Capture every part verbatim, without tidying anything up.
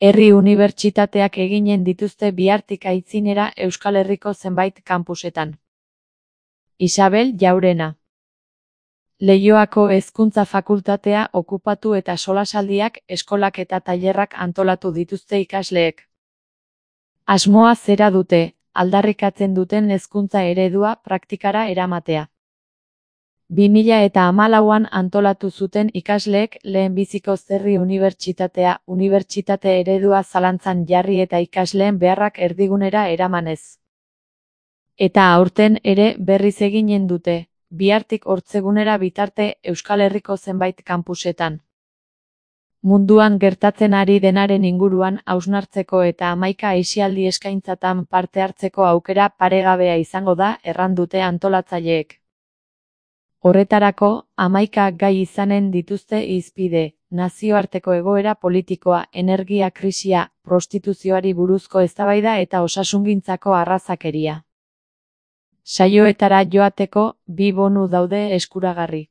Herri unibertsitateak eginen dituzte bihartik aitzinera Euskal Herriko zenbait kanpusetan. Isabel Jaurena. Leioako Hezkuntza Fakultatea okupatu eta solasaldiak, eskolak eta tailerrak antolatu dituzte ikasleek. Asmoa zera dute, aldarrikatzen duten hezkuntza eredua praktikara eramatea. bi mila eta hamalauan antolatu zuten ikasleek lehenbiziko Herri Unibertsitatea, unibertsitate eredua zalantzan jarri eta ikasleen beharrak erdigunera eramanez. Eta aurten ere berriz eginen dute, bihartik hortzegunera bitarte Euskal Herriko zenbait kanpusetan. Munduan gertatzen ari denaren inguruan hausnartzeko eta hamaika aisialdi eskaintzatan parte hartzeko aukera paregabea izango da erran dute antolatzaileek. Horretarako, hamaika gai izanen dituzte hizpide, nazioarteko egoera politikoa, energia krisia, prostituzioari buruzko eztabaida eta osasungintzako arrazakeria. Saioetara joateko, bi bonu daude eskuragarri.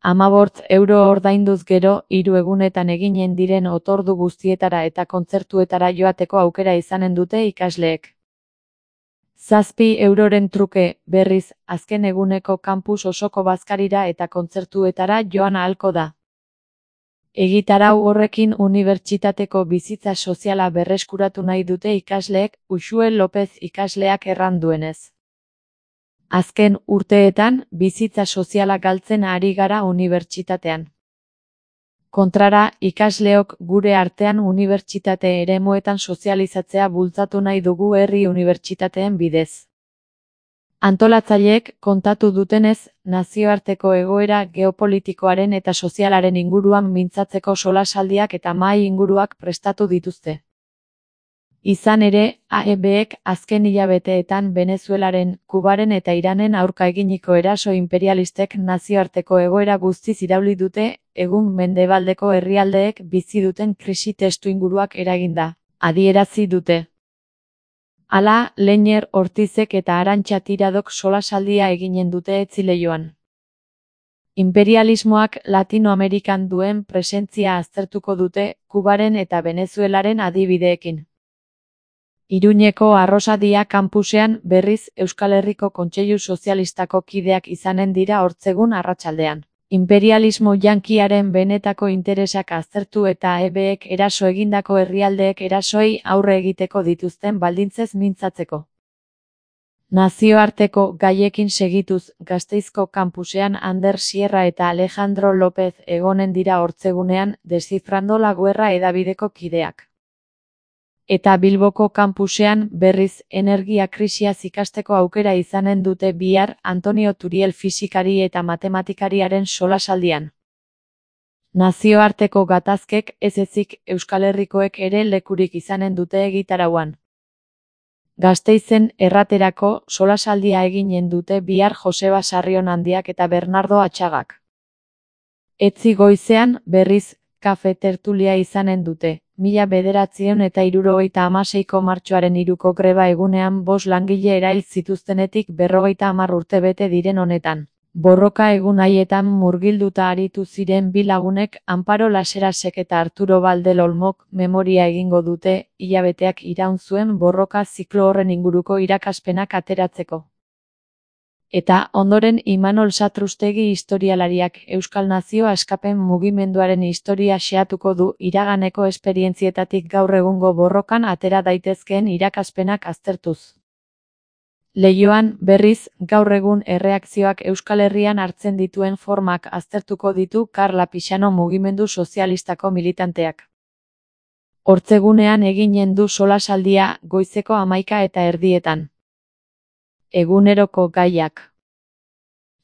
Hamabost euro ordainduz gero, hiru egunetan eginen diren otordu guztietara eta kontzertuetara joateko aukera izanen dute ikasleek. Zazpi euroren truke, berriz, azken eguneko kampus osoko bazkarira eta kontzertuetara joan ahalko da. Egitarau horrekin unibertsitateko bizitza soziala berreskuratu nahi dute ikasleek, Uxue Lopez ikasleak erran duenez. Azken urteetan, bizitza soziala galtzen ari gara unibertsitatean. Kontrara, ikasleok gure artean unibertsitate eremuetan sozializatzea bultzatu nahi dugu herri unibertsitateen bidez. Antolatzaileek kontatu dutenez, nazioarteko egoera geopolitikoaren eta sozialaren inguruan mintzatzeko solasaldiak eta mahai inguruak prestatu dituzte. Izan ere, A E Bek azken hilabeteetan Venezuelaren, Kubaren eta Iranen aurka eginiko eraso imperialistek nazioarteko egoera guztiz irauli dute, egun mendebaldeko herrialdeek bizi duten krisi testuinguruak eraginda, adierazi dute. Hala, Leiner Ortizek eta Arantxa Tiradok solasaldia eginen dute Etzileioan. Imperialismoak Latinoamerikan duen presentzia aztertuko dute, Kubaren eta Venezuelaren adibideekin. Iruñeko Arrosadia kanpusean berriz Euskal Herriko Kontseilu Sozialistako kideak izanen dira hortzegun arratsaldean. Imperialismo yankiaren benetako interesak aztertu eta A E Bek eraso egindako herrialdeek erasoei aurre egiteko dituzten baldintzez mintzatzeko. Nazioarteko gaiekin segituz, Gasteizko kanpusean Ander Sierra eta Alejandro López egonen dira hortzegunean, Descifrando la Guerra hedabideko kideak. Eta Bilboko kanpusean, berriz, energia krisiaz ikasteko aukera izanen dute bihar Antonio Turiel fisikari eta matematikariaren solasaldian. Nazioarteko gatazkek ez ezik Euskal Herrikoek ere lekurik izanen dute egitarauan. Gasteizen erraterako solasaldia eginen dute bihar Joseba Sarrionandiak eta Bernardo Atxagak. Etzi goizean, berriz, kafe tertulia izanen dute. Mila bederatziehun eta hirurogeita hamaseiko martxoaren hiruko greba egunean bost langile erail zituztenetik berrogeita hamar urte bete diren honetan. Borroka egun haietan murgilduta aritu ziren bi lagunek Amparo Laserasek eta Arturo Valdel Olmok memoria egingo dute, hilabeteak iraun zuen borroka ziklo horren inguruko irakaspenak ateratzeko. Eta, ondoren Imanol Satrustegi historialariak Euskal Nazio Askapen mugimenduaren historia xehatuko du iraganeko esperientzietatik gaur egungo borrokan atera daitezkeen irakaspenak aztertuz. Leioan, berriz, gaur egun erreakzioak Euskal Herrian hartzen dituen formak aztertuko ditu Karla Pixano mugimendu sozialistako militanteak. Hortzegunean eginen du solasaldia, goizeko hamaika eta erdietan. Eguneroko gaiak.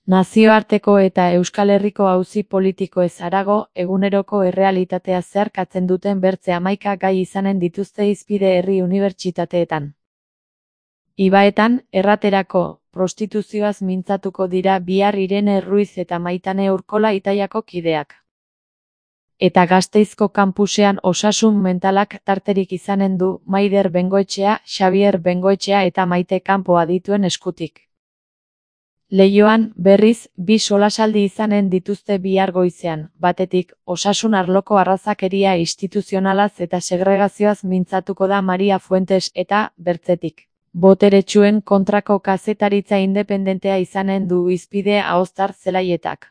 Nazioarteko eta Euskal Herriko auzi politikoez harago, eguneroko errealitatea zeharkatzen duten bertze hamaika gai izanen dituzte hizpide herri unibertsitateetan. Ibaetan, erraterako, prostituzioaz mintzatuko dira bihar Irene Ruiz eta Maitane Urkola Itaiako kideak. Eta Gasteizko kanpusean osasun mentalak tarterik izanen du Maider Bengoetxea, Xabier Bengoetxea eta Maite Kanpo adituen eskutik. Leioan, berriz, bi solasaldi izanen dituzte bihar goizean, batetik, osasun arloko arrazakeria instituzionalaz eta segregazioaz mintzatuko da Maria Fuentes eta, bertzetik, boteretsuen kontrako kazetaritza independentea izanen du hizpide Aoztar Zelaietak.